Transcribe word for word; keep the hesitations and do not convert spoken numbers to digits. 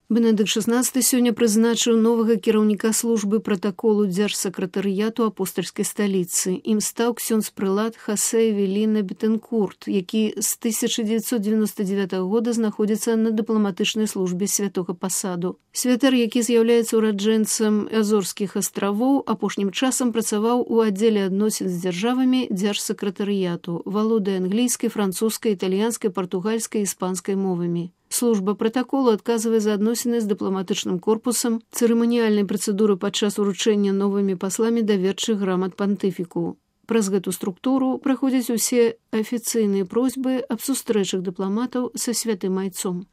Бенедыкт шестнадцаты сёння прызначыў новага кіраўніка службы пратаколу дзяржсакратарыяту апостальскай сталіцы. Ім стаў ксёндз-прылад Хосе Эвеліна Бетэнкурт, які з тысяча дзевяцьсот дзевяноста дзевятага года знаходзіцца на дыпламатычнай службе святога пасаду. Святар, які з'яўляецца ураджэнцам Азорскіх астравоў, апошнім часам працаваў у аддзеле адносін з дзяржавамі дзяржсакратарыяту, валодае англійскай, французскай, італьянскай, партугальскай і іспанскай мовамі. Служба пратаколу адказвае за адносіны з дыпламатычным корпусам, цырыманіяльнай працэдуры падчас уручэння новымі пасламі даверчых грамат пантыфіку. Праз гэту структуру праходзяць усе афіцыйныя просьбы аб сустрэчах дыпламатаў са святым айцом.